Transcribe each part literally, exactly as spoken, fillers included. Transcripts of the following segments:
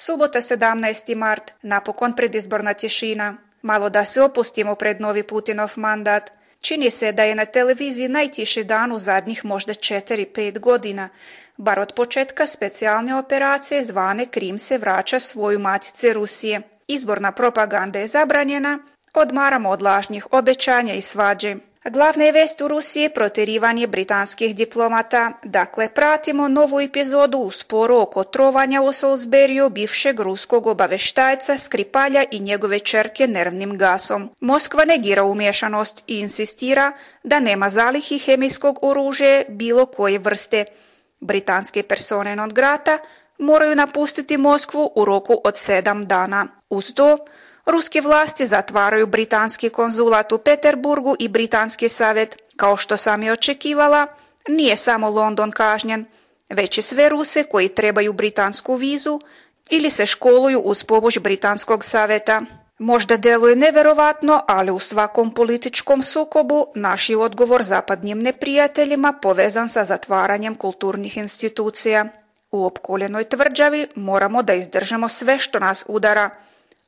Subota sedamnaesti mart, napokon predizborna tišina. Malo da se opustimo pred novi Putinov mandat. Čini se da je na televiziji najtiši dan u zadnjih možda četiri pet godina. Bar od početka specijalne operacije zvane Krim se vraća svoju matice Rusije. Izborna propaganda je zabranjena, odmaramo od lažnih obećanja i svađe. Glavna vest u Rusiji je protjerivanje britanskih diplomata. Dakle, pratimo novu epizodu u sporu oko trovanja u Salisburyu bivšeg ruskog obaveštajca Skripalja i njegove ćerke nervnim gasom. Moskva negira umješanost i insistira da nema zalihi hemijskog oružja bilo koje vrste. Britanske persone non grata moraju napustiti Moskvu u roku od sedam dana. Uz to, ruske vlasti zatvaraju britanski konzulat u Peterburgu i britanski savjet. Kao što sam je očekivala, nije samo London kažnjen, već i sve Ruse koji trebaju britansku vizu ili se školuju uz pomoć britanskog savjeta. Možda deluje nevjerovatno, ali u svakom političkom sukobu naš je odgovor zapadnim neprijateljima povezan sa zatvaranjem kulturnih institucija. U opkoljenoj tvrđavi moramo da izdržamo sve što nas udara,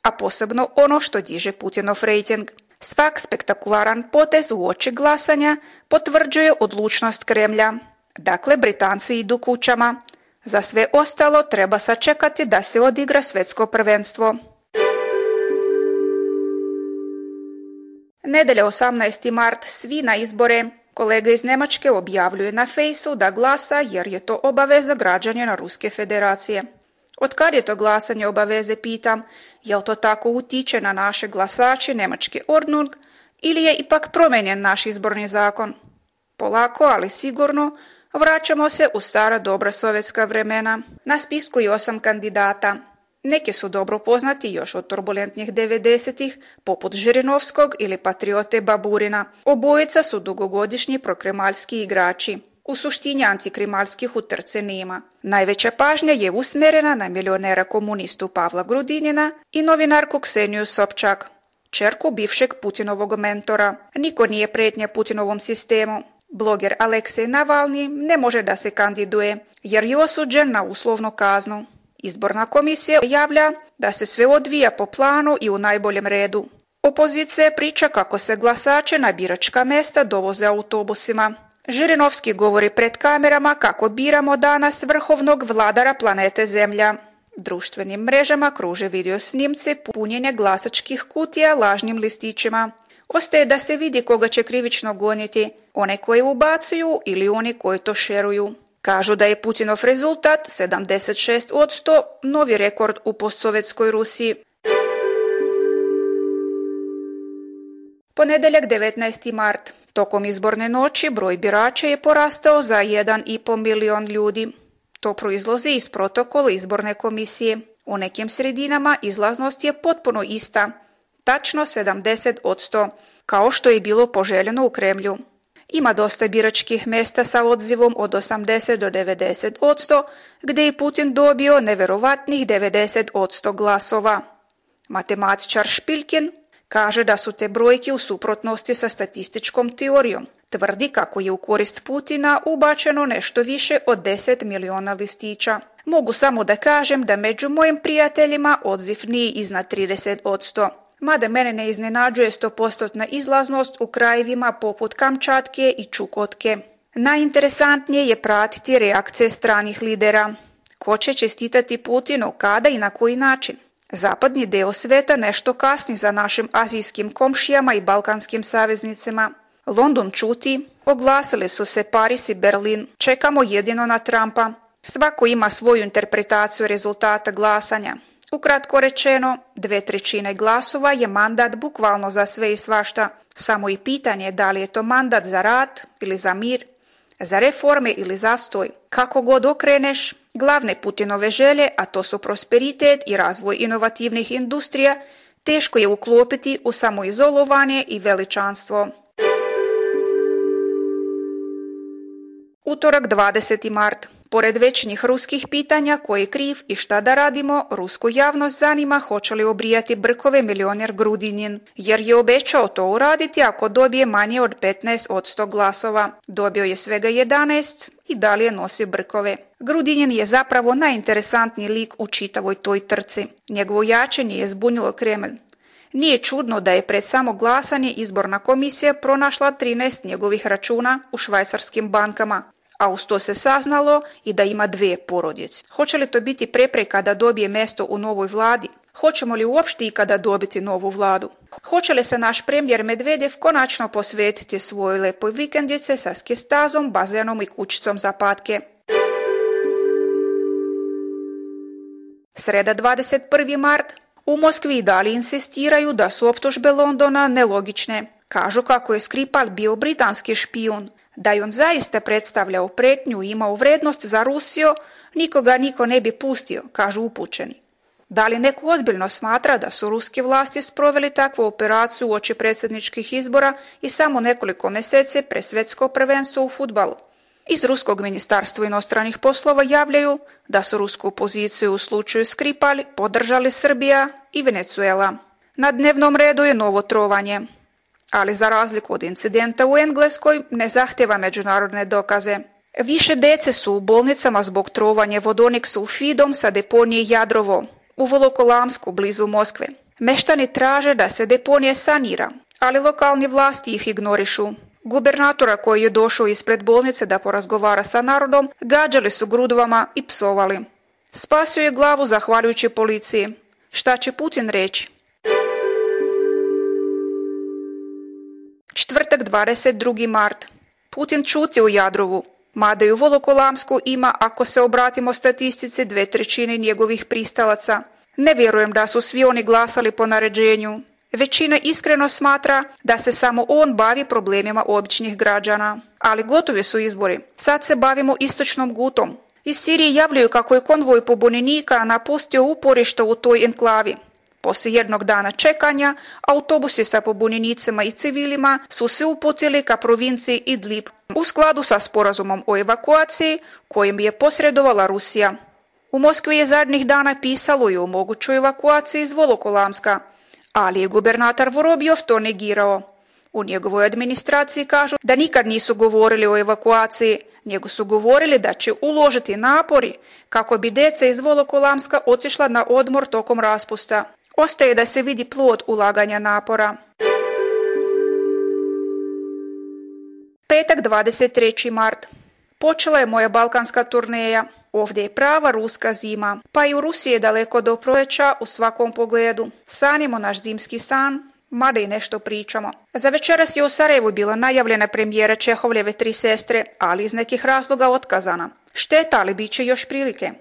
a posebno ono što diže Putinov rejting. Svak spektakularan potez u oči glasanja potvrđuje odlučnost Kremlja. Dakle, Britanci idu kućama. Za sve ostalo treba sačekati da se odigra svjetsko prvenstvo. Nedelja osamnaesti mart, svi na izbore. Kolega iz Njemačke objavljuje na fejsu da glasa jer je to obaveza građanina Ruske federacije. Od kad je to glasanje obaveze, pitam, jel to tako utiče na naše glasače Njemačke Ordnung ili je ipak promijenjen naš izborni zakon? Polako, ali sigurno, vraćamo se u stara dobra sovjetska vremena. Na spisku je osam kandidata. Neki su dobro poznati još od turbulentnih devedesetih, poput Žirinovskog ili patriote Baburina. Obojica su dugogodišnji prokremalski igrači. U suštini antikrimalskih utrce nema. Najveća pažnja je usmjerena na milionera komunistu Pavla Grudinina i novinarku Kseniju Sobčak, ćerku bivšeg Putinovog mentora. Niko nije prijetnja Putinovom sistemu. Bloger Aleksej Navalni ne može da se kandiduje jer je osuđen na uslovnu kaznu. Izborna komisija javlja da se sve odvija po planu i u najboljem redu. Opozicija priča kako se glasače na biračka mjesta dovoze autobusima. Žirinovski govori pred kamerama kako biramo danas vrhovnog vladara planete Zemlja. Društvenim mrežama kruže video snimci punjenja glasačkih kutija lažnim listićima. Ostaje da se vidi koga će krivično goniti, one koje ubacuju ili oni koji to šeruju. Kažu da je Putinov rezultat sedamdeset šest posto novi rekord u postsovjetskoj Rusiji. Ponedeljak devetnaesti mart. Tokom izborne noći broj birača je porastao za jedan i pol milion ljudi. To proizlazi iz protokola izborne komisije. U nekim sredinama izlaznost je potpuno ista, tačno sedamdeset posto, kao što je bilo poželjeno u Kremlju. Ima dosta biračkih mjesta sa odzivom od osamdeset do devedeset posto, gdje je Putin dobio neverovatnih devedeset posto glasova. Matematičar Špilkin kaže da su te brojke u suprotnosti sa statističkom teorijom. Tvrdi kako je u korist Putina ubačeno nešto više od deset miliona listića. Mogu samo da kažem da među mojim prijateljima odziv nije iznad trideset posto. Mada mene ne iznenađuje sto posto izlaznost u krajevima poput Kamčatke i Čukotke. Najinteresantnije je pratiti reakcije stranih lidera. Ko će čestitati Putinu, kada i na koji način? Zapadni dio sveta nešto kasni za našim azijskim komšijama i balkanskim saveznicima. London čuti, oglasili su se Paris i Berlin, čekamo jedino na Trumpa. Svako ima svoju interpretaciju rezultata glasanja. Ukratko rečeno, dve trećine glasova je mandat bukvalno za sve i svašta. Samo i pitanje je da li je to mandat za rat ili za mir, za reforme ili zastoj. Kako god okreneš, glavne Putinove želje, a to su prosperitet i razvoj inovativnih industrija, teško je uklopiti u samoizolovanje i veličanstvo. Utorak dvadeseti mart. Pored večnih ruskih pitanja ko je kriv i šta da radimo, rusku javnost zanima hoće li obrijati brkove milioner Grudinin, jer je obećao to uraditi ako dobije manje od petnaest posto glasova. Dobio je svega jedanaest i dalje nosi brkove. Grudinin je zapravo najinteresantniji lik u čitavoj toj trci. Njegovo jačanje je zbunilo Kremlj. Nije čudno da je pred samo glasanje izborna komisija pronašla trinaest njegovih računa u švajcarskim bankama, a uz to se saznalo i da ima dvije porodice. Hoće li to biti prepreka da dobije mjesto u novoj vladi? Hoćemo li uopšte ikada dobiti novu vladu? Hoće li se naš premijer Medvedev konačno posvetiti svojoj lepoj vikendice sa skijestazom, bazenom i kućicom za patke? Sreda dvadeset prvi mart. U Moskvi i dalje insistiraju da su optužbe Londona nelogične. Kažu kako je Skripal bio britanski špijun. Da je on zaista predstavljao pretnju i imao vrednost za Rusiju, nikoga niko ne bi pustio, kažu upućeni. Da li neko ozbiljno smatra da su ruske vlasti sproveli takvu operaciju uoči predsjedničkih izbora i samo nekoliko mjeseci pre svjetsko prvenstvo u fudbalu? Iz Ruskog ministarstva inostranih poslova javljaju da su rusku poziciju u slučaju Skripal podržali Srbija i Venezuela. Na dnevnom redu je novo trovanje, ali za razliku od incidenta u Engleskoj ne zahtjeva međunarodne dokaze. Više dece su u bolnicama zbog trovanja vodonik sulfidom sa deponije Jadrovo u Volokolamsku blizu Moskve. Meštani traže da se deponije sanira, ali lokalni vlasti ih ignorišu. Gubernatora koji je došao ispred bolnice da porazgovara sa narodom, gađali su grudvama i psovali. Spasio je glavu zahvaljujući policiji. Šta će Putin reći? Četvrtak dvadeset drugi mart. Putin čuti u Jadrovu, mada i u Volokolamsku ima, ako se obratimo statistici, dve trećine njegovih pristalaca. Ne vjerujem da su svi oni glasali po naređenju. Većina iskreno smatra da se samo on bavi problemima običnih građana. Ali gotovi su izbori. Sad se bavimo istočnom Gutom. Iz Sirije javljaju kako je konvoj pobunjenika napustio uporište u toj enklavi. Poslije jednog dana čekanja, autobusi sa pobunjenicima i civilima su se uputili ka provinciji Idlib u skladu sa sporazumom o evakuaciji kojim je posredovala Rusija. U Moskvi je zadnjih dana pisalo i o mogućoj evakuaciji iz Volokolamska, ali je gubernator Vorobjov to negirao. U njegovoj administraciji kažu da nikad nisu govorili o evakuaciji, nego su govorili da će uložiti napori kako bi djeca iz Volokolamska otišla na odmor tokom raspusta. Ostaje da se vidi plod ulaganja napora. Petak dvadeset treći mart. Počela je moja balkanska turneja. Ovdje je prava ruska zima, pa i u Rusiji je daleko do proljeća u svakom pogledu. Sanimo naš zimski san, mada i nešto pričamo. Za večeras je u Sarajevu bila najavljena premijera Čehovljeve Tri sestre, ali iz nekih razloga otkazana. Šteta, ali bit će još prilike.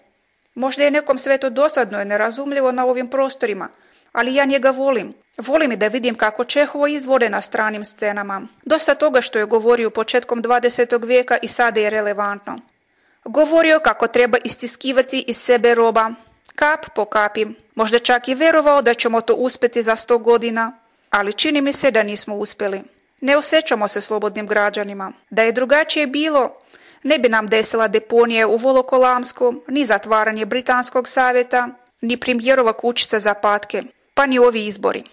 Možda je nekom sve to dosadno i nerazumljivo na ovim prostorima, ali ja njega volim. Volim i da vidim kako Čehovo izvode na stranim scenama. Dosta toga što je govorio početkom dvadesetog vijeka i sada je relevantno. Govorio kako treba istiskivati iz sebe roba, kap po kapi. Možda čak i vjerovao da ćemo to uspjeti za sto godina, ali čini mi se da nismo uspjeli. Ne osjećamo se slobodnim građanima. Da je drugačije bilo, ne bi nam desila deponije u Volokolamsku, ni zatvaranje Britanskog savjeta, ni premijerova kućica za patke, pa ni ovi izbori.